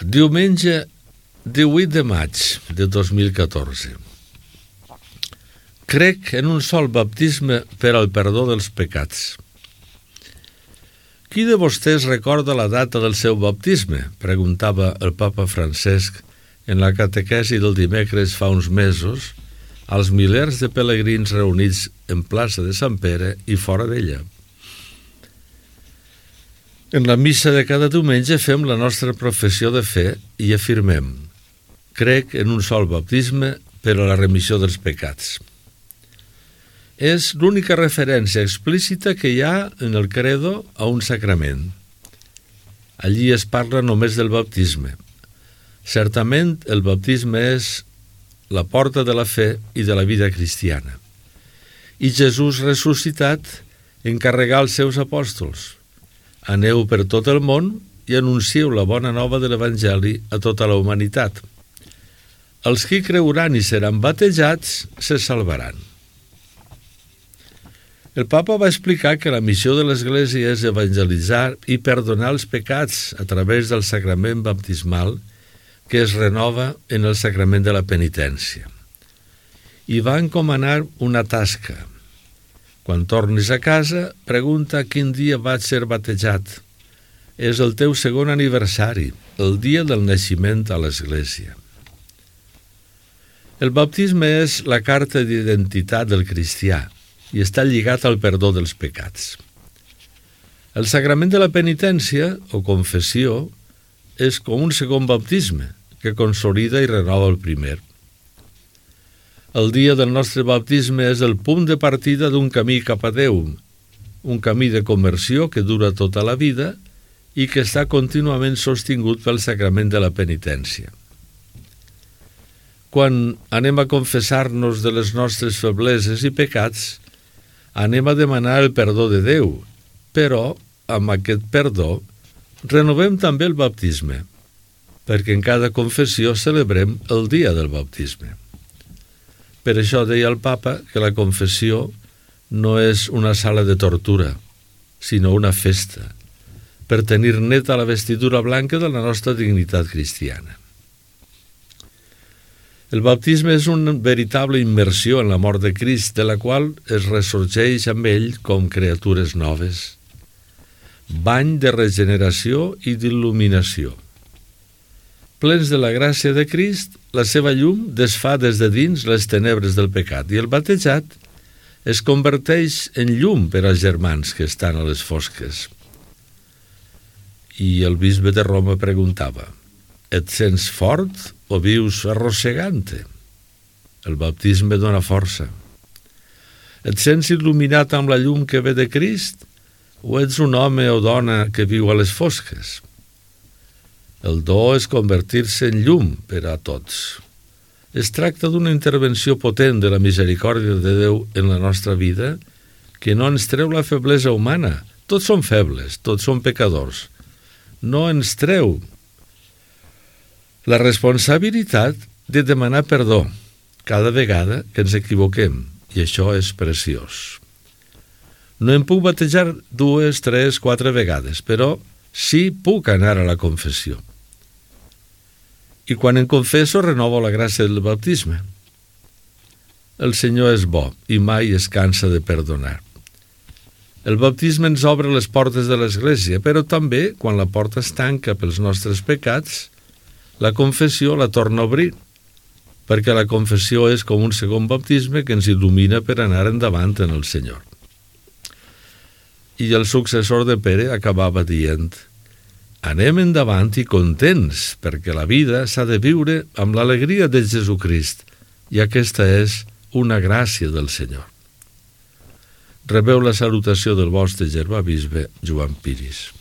Diumenge 18 de maig de 2014. Crec en un sol baptisme per al perdó dels pecats. Qui de vostès recorda la data del seu baptisme? Preguntava el papa Francesc en la catequesi del dimecres fa uns mesos als milers de pelegrins reunits en plaça de Sant Pere i fora d'ella. En la missa de cada diumenge fem la nostra professió de fe i afirmem: crec en un sol baptisme per a la remissió dels pecats. És l'única referència explícita que hi ha en el credo a un sacrament. Allí es parla només del baptisme. Certament, el baptisme és la porta de la fe i de la vida cristiana. I Jesús ressuscitat encarregà als seus apòstols: aneu per tot el món i anuncieu la bona nova de l'Evangeli a tota la humanitat. Els qui creuran i seran batejats se salvaran. El papa va explicar que la missió de l'Església és evangelitzar i perdonar els pecats a través del sacrament baptismal que es renova en el sacrament de la penitència. I va encomanar una tasca. Quan tornis a casa, pregunta quin dia vaig ser batejat. És el teu segon aniversari, el dia del naixement a l'Església. El baptisme és la carta d'identitat del cristià i està lligat al perdó dels pecats. El sacrament de la penitència, o confessió, és com un segon baptisme que consolida i renova el primer. El dia del nostre baptisme és el punt de partida d'un camí cap a Déu, un camí de conversió que dura tota la vida i que està contínuament sostingut pel sacrament de la penitència. Quan anem a confessar-nos de les nostres febleses i pecats, anem a demanar el perdó de Déu, però amb aquest perdó renovem també el baptisme, perquè en cada confessió celebrem el dia del baptisme. Per això deia el papa que la confessió no és una sala de tortura, sinó una festa, per tenir neta la vestidura blanca de la nostra dignitat cristiana. El baptisme és una veritable immersió en la mort de Crist, de la qual es ressorgeix amb ell com criatures noves. Bany de regeneració i d'il·luminació. Plens de la gràcia de Crist, la seva llum desfà des de dins les tenebres del pecat i el batejat es converteix en llum per als germans que estan a les fosques. I el bisbe de Roma preguntava: et sents fort o vius arrossegant-te? El baptisme dona força. Et sents il·luminat amb la llum que ve de Crist o ets un home o dona que viu a les fosques? El do és convertir-se en llum per a tots. Es tracta d'una intervenció potent de la misericòrdia de Déu en la nostra vida que no ens treu la feblesa humana. Tots som febles, tots som pecadors. No ens treu la responsabilitat de demanar perdó cada vegada que ens equivoquem, i això és preciós. No em puc batejar 2, 3, 4 vegades, però sí puc anar a la confessió. I quan em confesso renovo la gràcia del baptisme. El Senyor és bo i mai es cansa de perdonar. El baptisme ens obre les portes de l'Església, però també, quan la porta es tanca pels nostres pecats, la confessió la torna a obrir, perquè la confessió és com un segon baptisme que ens il·lumina per anar endavant en el Senyor. I el successor de Pere acabava dient: anem endavant i contents, perquè la vida s'ha de viure amb l'alegria de Jesucrist, i aquesta és una gràcia del Senyor. Rebeu la salutació del vostre germà bisbe Joan Piris.